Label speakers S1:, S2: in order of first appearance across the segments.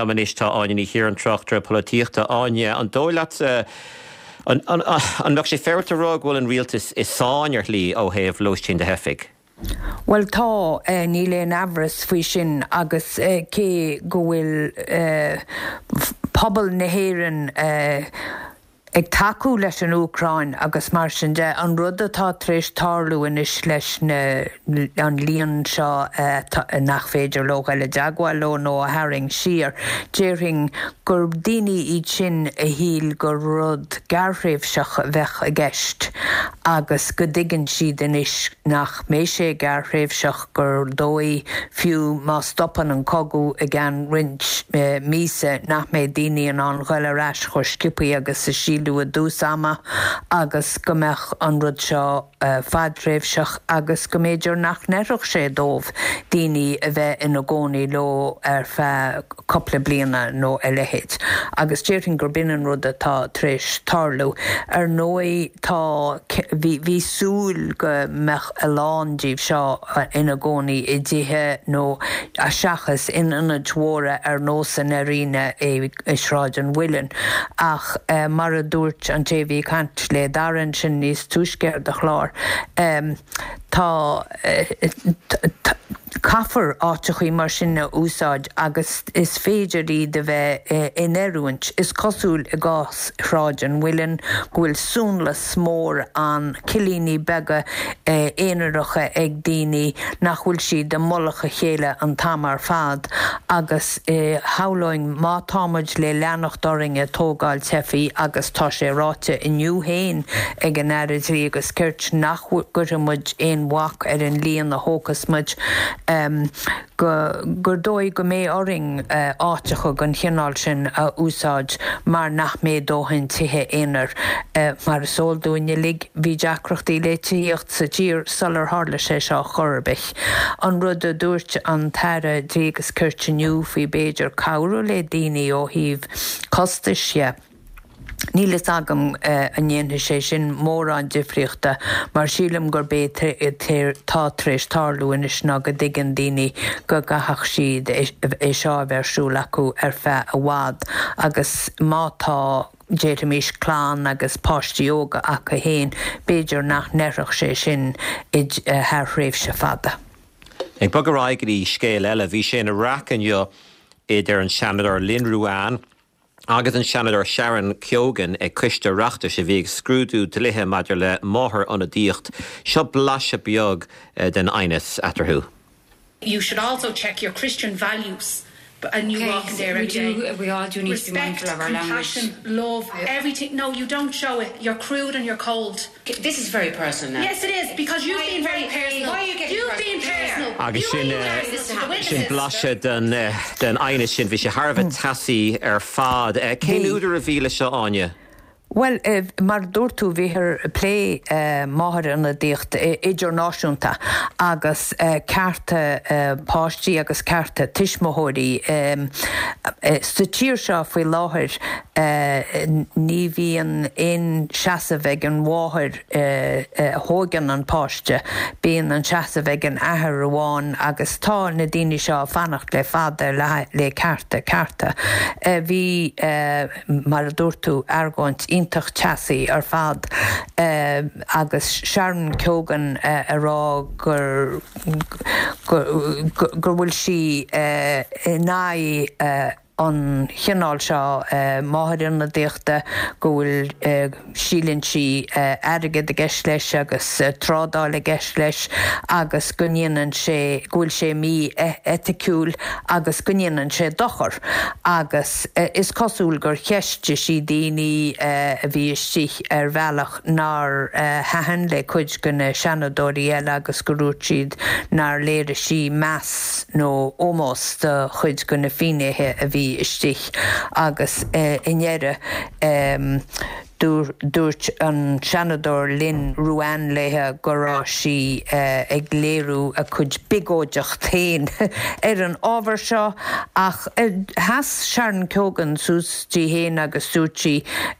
S1: liom anois tá Áine Ní Chiaráin, tráchtaire polaitíochta. Áine, an dóigh leat, an mbeadh sé féaráilte a rá go bhfuil an rialtas i sáinn ar shlí ó thaobh lóistín do theifigh?
S2: Bhuel tá, níl aon amhras faoi sin agus cé go bhfuil pobal na hÉireann ag tacú leis an Úcráin agus mar sin de, an rud atá tar éis tarlú anois leis na, an líon seo nach féidir leo dul i dteagmháil leo nó a tharraing siar, déarfainn gur daoine iad sin a shíl gur rud gearrthréimhseach a bheadh i gceist agus go dtuigeann siad anois nach mbeidh sé gearrthréimhseach. gur dóigh, fiú má stopann an cogadh i gceann roinnt míosa, nach mbeidh daoine in ann ghoil ar ais chomh sciobthaí agus a síleadh i dtús ama agus go mbeadh an rud seo fadtréimhseach agus go mb'fhéidir nach n-oirfeadh sé dóibh daoine a bheith ina gcónaí leo ar feadh cúpla bliana nó a leithéid. Agus déarfainn gurb in an rud atá tar éis tarlú. Ar ndóigh tá, bhí, bhí súil go mbeadh a lán díobh seo ina gcónaí i dtithe nó seachas in ionaid mhóra ar nós an Arena i Sráid an Mhuilinn. Ach mar a dúirt an té a bhí ag caint le Dara ansin níos túisce ar do chlár, tá, Caithfear áiteachaí mar sin a úsáid agus is féidir iad a bheith in oiriúint. Is cosúil i gcás Shráid an Mhuilinn go bhfuil suanlus mór ann, cillíní beaga aonaracha ag daoine nach bhfuil siad i mullach a chéile an t-am ar fad agus shamhlóinn má tá muid le leanacht orainn ag tógáil teifigh agus tá sé ráite inniu féin ag an Aire Dlí agus Cirt nach gcuirfidh muid aon bhac ar an líon a thógfas muid, go gur dóigh go mbeidh orainn áiteacha den chineál sin a úsáid mar nach mbeidh dóthain tithe aonair. Mar is eol dúinn uilig, bhí deacrachtaí le tithíocht sa tír sular tharla sé seo chor ar bith. An rud a dúirt an tAire Dlí agus Cirt inniu faoi b'fhéidir cabhrú le daoine ó thaobh costais dhe, Níl fhios agam an ndéanfaidh sé sin mórán difríochta mar sílim gurb é atá tar éis tarlú anois ná go dtuigeann daoine go gcaithfeadh siad é seo a bheith ar siúl acu ar feadh i bhfad agus má tá, déarfaimis, clann agus páistí óga acu féin, b'fhéidir nach n-oirfeadh sé sin thar thréimhse fada.
S1: Ag bogadh ar aghaidh go dtí scéal eile, bhí sé ina raic inniu idir an Seanadóir Lynn Ruane, agus an Seanadóir Sharon Keoghan ag coiste Oireachtais a bhí ag scrúdú dlíthe maidir le máthair-ionadaíocht. Seo blaiseadh beag den aighneas eatarthu.
S3: You should also check your Christian values and you walk in there every day.
S4: We all do need to be
S3: Respect,
S4: mindful of our language.
S3: compassion, love, everything. No, you don't show it. You're crude and you're cold.
S4: This is very personal now.
S3: Yes, it is, because you've been very personal.
S4: Why are you getting
S3: You've been
S4: personal?
S3: personal.
S1: Agus
S3: You
S1: sin,
S3: were personal to the
S1: sin
S3: witnesses.
S1: blaiseadh den, den aighneas sin. Bhí sé thar a bheith teasaí ar fad. Cén
S2: Bhí.
S1: údar a bhí leis seo, Áine?
S2: Bhuel, mar a dúirt tú, bhíothar ag plé máthair-ionadaíocht idirnáisiúnta agus cearta páistí agus cearta tuismitheoirí. Sa tír seo faoi láthair, Ní bhíonn aon seasamh ag an mháthair a thóigeann an páiste, bíonn an seasamh ag an athair amháin agus tá na daoine seo ag fanacht le fada le cearta, cearta. Bhí, mar a dúirt tú, argóint iontach teasaí ar fad agus Sharon Keoghan ag rá gur go bhfuil sí in aghaidh an chineál seo máthair-ionadaíochta, go bhfuil, síleann sí, airgead i gceist leis agus trádáil i gceist leis agus go ndéanann sé, go bhfuil sé mí-eiticiúil agus go ndéanann sé dochar. Agus is cosúil gur cheistigh sí daoine a bhí istigh ar bhealach nár thaitin le cuid de na Seanadóirí eile agus go ndúirt siad nár léirigh sí meas nó ómós do chuid de na finnéithe a bhí istigh agus i ndeireadh. Dúirt an Seanadóir Lynn Ruane léi go raibh sí ag léiriú a cuid biogóideacht féin ar an ábhar seo ach sheas Sharon Keoghan suas di féin agus dúirt sí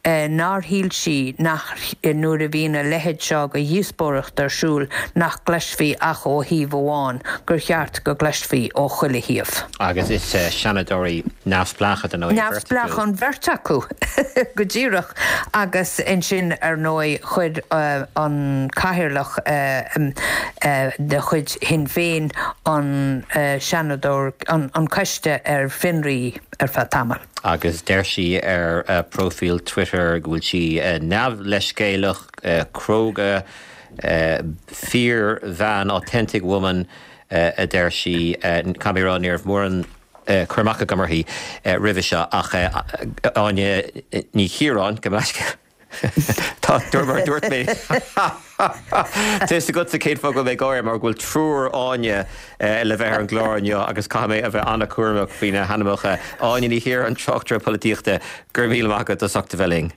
S2: nár shíl sí nach nuair a bhíonn a leithéid seo de dhíospóireacht ar siúl nach gcloisfí ach ó thaobh amháin, gur cheart go gcloisfí ó chuile thaobh.
S1: Agus is seanadóirí neamhspleácha, dar ndóigh, an bheirt acu.
S2: Neamhspleách an bheirt acu, go díreach. Agus ansin, ar ndóigh, chuir an cathaoirleach de chuid Shinn Féin an Seanadóir, an coiste ar fionraí ar feadh tamaill.
S1: Agus deir sí ar a próifíl Twitter go bhfuil sí neamhleithscéalach, cróga, fíorbhean, authentic woman, a deir sí. Caithfidh mé a rá, ní raibh mórán cur amach agam uirthi roimhe seo ach Áine Ní Chiaráin, gabh mo leithscéal. Tá, mar a dúirt mé, tá fhios agatsa cén fáth go bhfuil mé ag gáire, mar go bhfuil triúr Áine le bheith ar an gclár inniu agus caithfidh mé a bheith an-chúramach faoi na hainmneacha. Áine Ní Chiaráin, tráchtaire polaitíochta, go raibh míle maith agat as ucht a bheith linn.